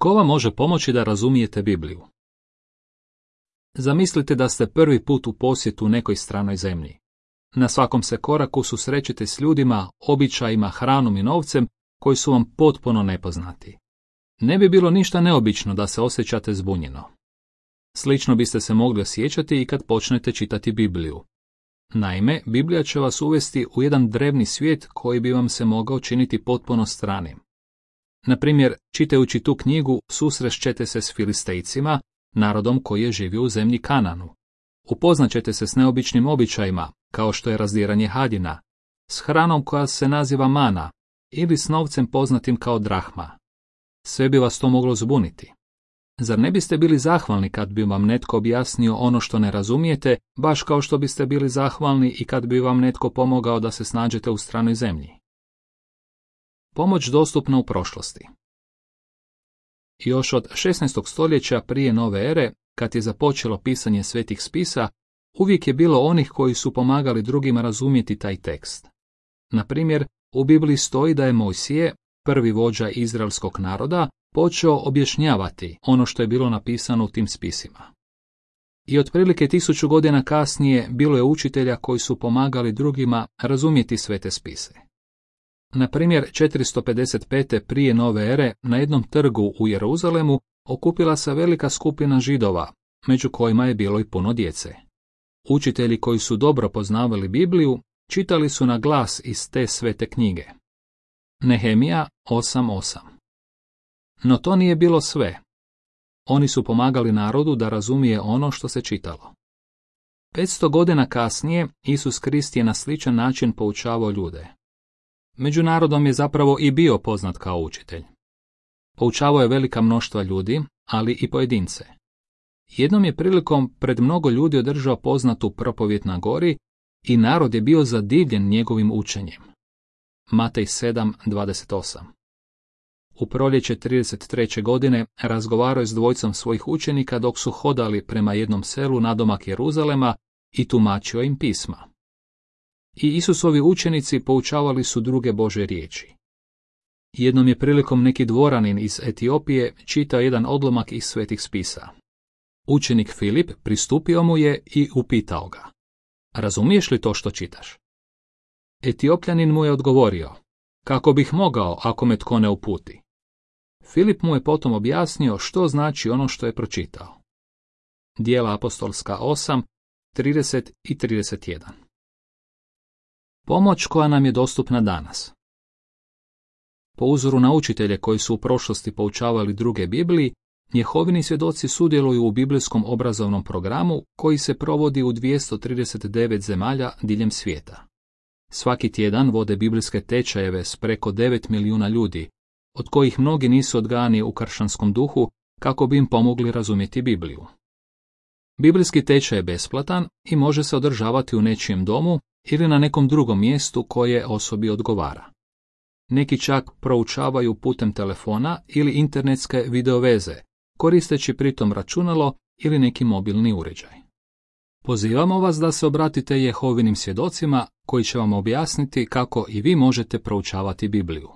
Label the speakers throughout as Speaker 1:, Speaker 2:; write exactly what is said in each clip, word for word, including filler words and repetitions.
Speaker 1: Tko vam može pomoći da razumijete Bibliju? Zamislite da ste prvi put u posjetu nekoj stranoj zemlji. Na svakom se koraku susrećete s ljudima, običajima, hranom i novcem koji su vam potpuno nepoznati. Ne bi bilo ništa neobično da se osjećate zbunjeno. Slično biste se mogli osjećati i kad počnete čitati Bibliju. Naime, Biblija će vas uvesti u jedan drevni svijet koji bi vam se mogao činiti potpuno stranim. Na primjer, čitajući tu knjigu susrešćete se s Filistejcima, narodom koji je živio u zemlji Kananu. Upoznaćete se s neobičnim običajima, kao što je razdiranje haljina, s hranom koja se naziva mana ili s novcem poznatim kao drahma. Sve bi vas to moglo zbuniti. Zar ne biste bili zahvalni kad bi vam netko objasnio ono što ne razumijete, baš kao što biste bili zahvalni i kad bi vam netko pomogao da se snađete u stranoj zemlji? Pomoć dostupna u prošlosti. Još od šesnaestog stoljeća prije nove ere, kad je započelo pisanje svetih spisa, uvijek je bilo onih koji su pomagali drugima razumjeti taj tekst. Na primjer, u Bibliji stoji da je Mojsije, prvi vođa izraelskog naroda, počeo objašnjavati ono što je bilo napisano u tim spisima. I otprilike tisuću godina kasnije bilo je učitelja koji su pomagali drugima razumjeti sve te spise. Na primjer, četiristo pedeset pete prije nove ere na jednom trgu u Jeruzalemu okupila se velika skupina Židova, među kojima je bilo i puno djece. Učitelji koji su dobro poznavali Bibliju čitali su na glas iz te svete knjige. Nehemija osam osam. No to nije bilo sve. Oni su pomagali narodu da razumije ono što se čitalo. petsto godina kasnije Isus Krist je na sličan način poučavao ljude. Među narodom je zapravo i bio poznat kao učitelj. Poučavao je velika mnoštva ljudi, ali i pojedince. Jednom je prilikom pred mnogo ljudi održao poznatu propovijed na gori i narod je bio zadivljen njegovim učenjem. Matej sedam dvadeset osam. U proljeće trideset treće godine razgovarao je s dvojicom svojih učenika dok su hodali prema jednom selu nadomak Jeruzalema i tumačio im pisma. I Isusovi učenici poučavali su druge Božje riječi. Jednom je prilikom neki dvoranin iz Etiopije čitao jedan odlomak iz svetih spisa. Učenik Filip pristupio mu je i upitao ga: razumiješ li to što čitaš? Etiopljanin mu je odgovorio: kako bih mogao ako me tko ne uputi? Filip mu je potom objasnio što znači ono što je pročitao. Djela apostolska osam, trideset i trideset jedan. Pomoć koja nam je dostupna danas. Po uzoru na učitelje koji su u prošlosti poučavali druge Bibliji, Jehovini svjedoci sudjeluju u biblijskom obrazovnom programu koji se provodi u dvjesto trideset devet zemalja diljem svijeta. Svaki tjedan vode biblijske tečajeve s preko devet milijuna ljudi, od kojih mnogi nisu odgajani u kršćanskom duhu kako bi im pomogli razumjeti Bibliju. Biblijski tečaj je besplatan i može se održavati u nečijem domu ili na nekom drugom mjestu koje osobi odgovara. Neki čak proučavaju putem telefona ili internetske videoveze, koristeći pritom računalo ili neki mobilni uređaj. Pozivamo vas da se obratite Jehovinim svjedocima koji će vam objasniti kako i vi možete proučavati Bibliju.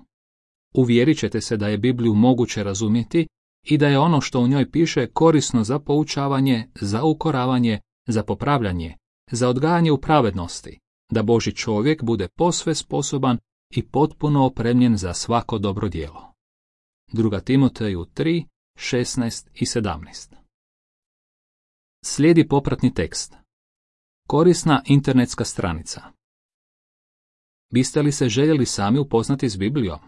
Speaker 1: Uvjerit ćete se da je Bibliju moguće razumjeti i da je ono što u njoj piše korisno za poučavanje, za ukoravanje, za popravljanje, za odgajanje u pravednosti, da Božji čovjek bude posve sposoban i potpuno opremljen za svako dobro djelo. Druga Timoteju tri, šesnaest i sedamnaest. Slijedi popratni tekst. Korisna internetska stranica. Biste li se željeli sami upoznati s Biblijom?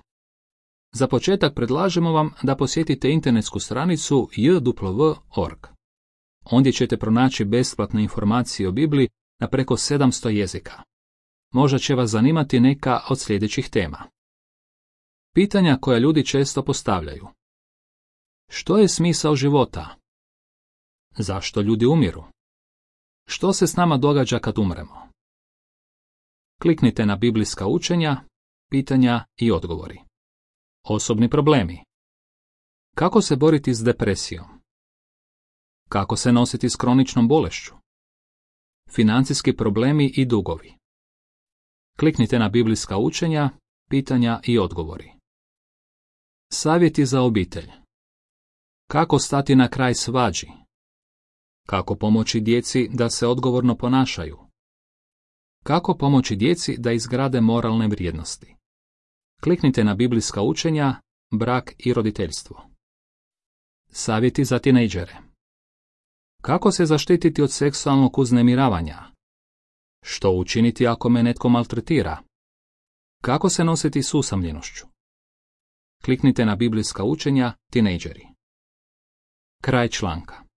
Speaker 1: Za početak predlažemo vam da posjetite internetsku stranicu j w w dot org. Ondje ćete pronaći besplatne informacije o Bibliji na preko sedamsto jezika. Možda će vas zanimati neka od sljedećih tema. Pitanja koja ljudi često postavljaju. Što je smisao života? Zašto ljudi umiru? Što se s nama događa kad umremo? Kliknite na biblijska učenja, pitanja i odgovori. Osobni problemi. Kako se boriti s depresijom? Kako se nositi s kroničnom bolešću? Financijski problemi i dugovi. Kliknite na biblijska učenja, pitanja i odgovori. Savjeti za obitelj. Kako stati na kraj svađi? Kako pomoći djeci da se odgovorno ponašaju? Kako pomoći djeci da izgrade moralne vrijednosti? Kliknite na biblijska učenja, brak i roditeljstvo. Savjeti za tinejdžere. Kako se zaštititi od seksualnog uznemiravanja? Što učiniti ako me netko maltretira? Kako se nositi s usamljenošću? Kliknite na biblijska učenja, tinejdžeri. Kraj članka.